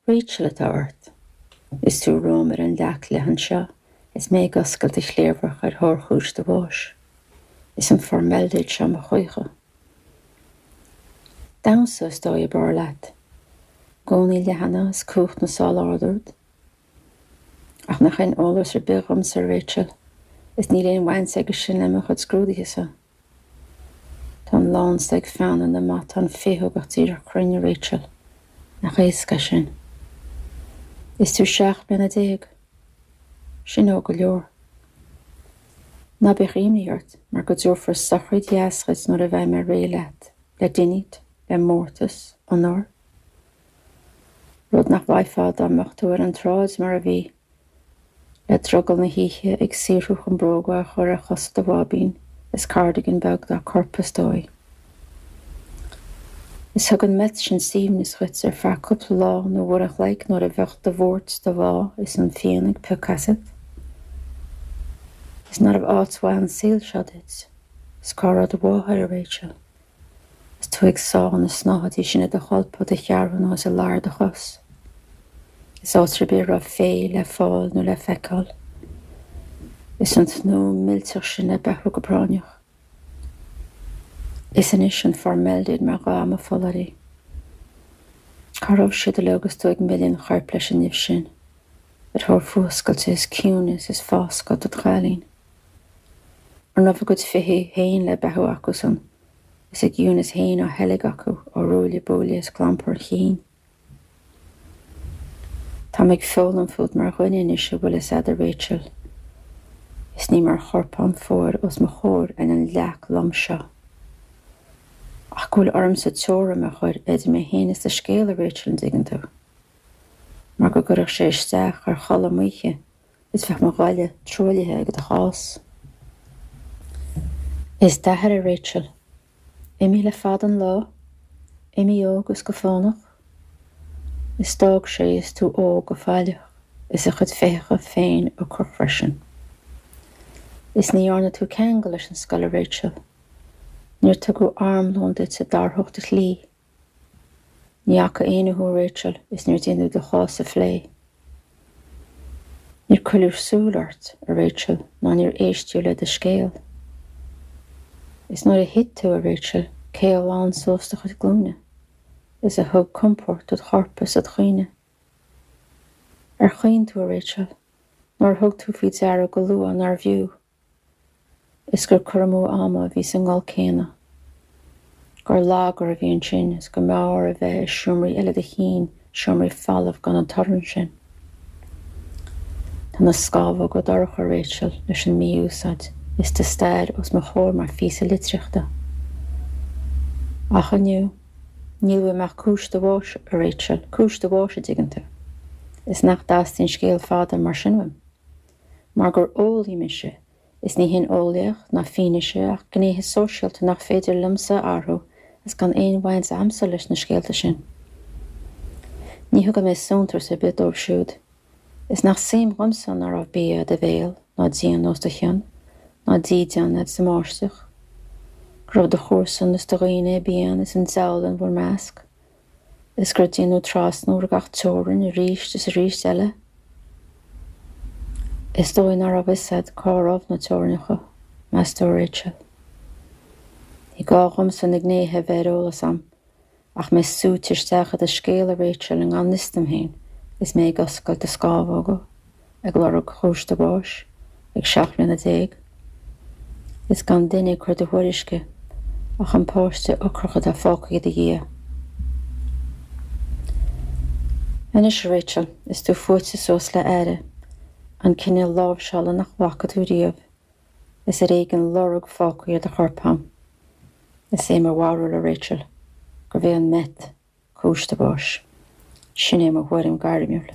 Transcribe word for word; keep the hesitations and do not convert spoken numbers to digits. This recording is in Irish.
Rachel atá ort. Is tú romham ar an leac leathan seo, is mé ag oscailt do chliabhrach ar thóir chúis do bháis. Is an formaildéad seo mo choíche. Damhsa is dóigh ab fhearr leat. Gúnaí leathana is cumhacht na sál ard ort. Ach nach aon eolas ar bith dhomsa Rachel, is níl aon bhaint aige sin le mo chuid scrúduithe. Tá an lánsa ag feannadh na matán féthugach díreach cruinne Rachel, nach éasca sin. Is tú seacht mbliana déag. Sin óg go leor. Ná bíodh imní ort mar go dtabharfar sochraid dheas dhuit nuair a bheidh mé réidh leat, le dínit, le mórtas, onóir. Rud nach bhfaighfeá dá mbeadh tú ar an tsráid mar a bhí, le drogall na hoíche ag saothrú chun bróga a chur ar chosa do bháibín is cardigan beag dá corp is dóigh. Is thug an meth sin suaimhneas dhuit ar feadh cúpla lá nó uair an chloig nuair a bheadh do bhuairt do bhá is an phian ag piocadh asat. Is nárbh áit mhaith an saol seo duit, is cá raibh do mháthair a Rachel. Is tú ag sá na snáthaidí sin i do cholpa do cheathrún nó is i lár do chos. Is áit ar bith raibh féith le fáil nó le feiceáil. Is an tnúth millteach sin le beathú go práinneach. Is anois an formaildéad mar dhath mo pholláirí. Cá raibh siad uilig agus tú ag milleadh an choirp leis an nimh sin, ar thóir fuascailte is ciúnas is foscadh dod chailín. An raibh a gcuid fithí féin le beathú acusan, is a gciúnas féin á sheilg acu ó ruaille buaille is clampar an chinn. Táim ag foghlaim fút mar dhuine anois a bhfuil fhios a'd a Rachel. Is ní mar chorpán fuar os mo chomhair ar an leac lom seo. Ach go bhfuil ormsa teorainn a chur idir mé féin is do scéal a Rachel an dtuigeann tú. Mar go gcuirfeadh sé isteach ar chodladh m'oíche is bheadh mo ghoile truaillithe ag do chás. Is d'athair a Rachel, imithe le fada an lá, imithe óg is go fánach, is d'fhág sé is tú óg go failleach is a chuid féitheacha féin ocrach freisin. Is ní dhearna tú ceangal leis an scoil a Rachel. Níor tugadh armlón duit a d'athródh do shlí. Ní fhaca éinne thú Rachel is níor déanadh do chás a phlé. Níor cuireadh súil ort a Rachel ná níor éisteadh le do scéal. Is nuair a thit tú a Rachel cé a ghlan suas do chuid glúine, is a thug compord dod chorp is dod chuimhne. Ar chaoin tú a Rachel, nuair a thug tú faoi deara go luath nárbh fhiú, is gur cur amú ama a bhí sa ngol céanna. Gur lagar a bhí ansin is go mb'fhearr a bheith i seomraí eile do chinn, seomraí folamh gan an torann sin. Tá na scamhóga dorcha Rachel leis an mí-úsáid is do stair os mo chomhair mar phíosa litríochta. Ach inniu, níl uaim ach cúis do bháis a Rachel, cúis do bháis a dtuigeann tú. Is nach dteastaíonn scéal fada mar sin uaim. Mar gur eolaí mise, is ní hin eolaíocht ná fianaise ach gnéithe sóisialta nach féidir liomsa athrú is gan aon bhaint a'msa leis na scéalta sin. Ní thugann mé suntas ar bith dóibh siúd. Is nach suim dhomsa ná raibh bia i do bhéal ná díon os do chionn, ná dídean a'd sa mbáisteach. Go raibh do chomharsain is do dhaoine i bpian is an diabhal in bhur measc, is gur déanadh trasnú ar gach teorainn arís is arís eile. Is dóigh ná raibh fhios a'd cá raibh na teorainneacha, meas tú Rachel. Ní gá dhomsa na gnéithe a bheith ar eolas a'm, ach mé súite isteach i do scéal a Rachel i ngan fhios dom féin, is mé ag oscailt do scamhóga, ag lorg chúis do bháis, ag seacht mbliana déag. Is gan duine ag cur do thuairisce ach an páiste ocrach atá fágtha i do dhiaidh. Anois a Rachel, is tú fuaite suas le aire, an cineál láimhseála nach bhfaca tú riamh, is ar éigean lorg fágtha ar do chorp a'm. Is é mo bharúil a Rachel, gurbh é an meth cúis do bháis. Sin é mo thuairim gairmiúil.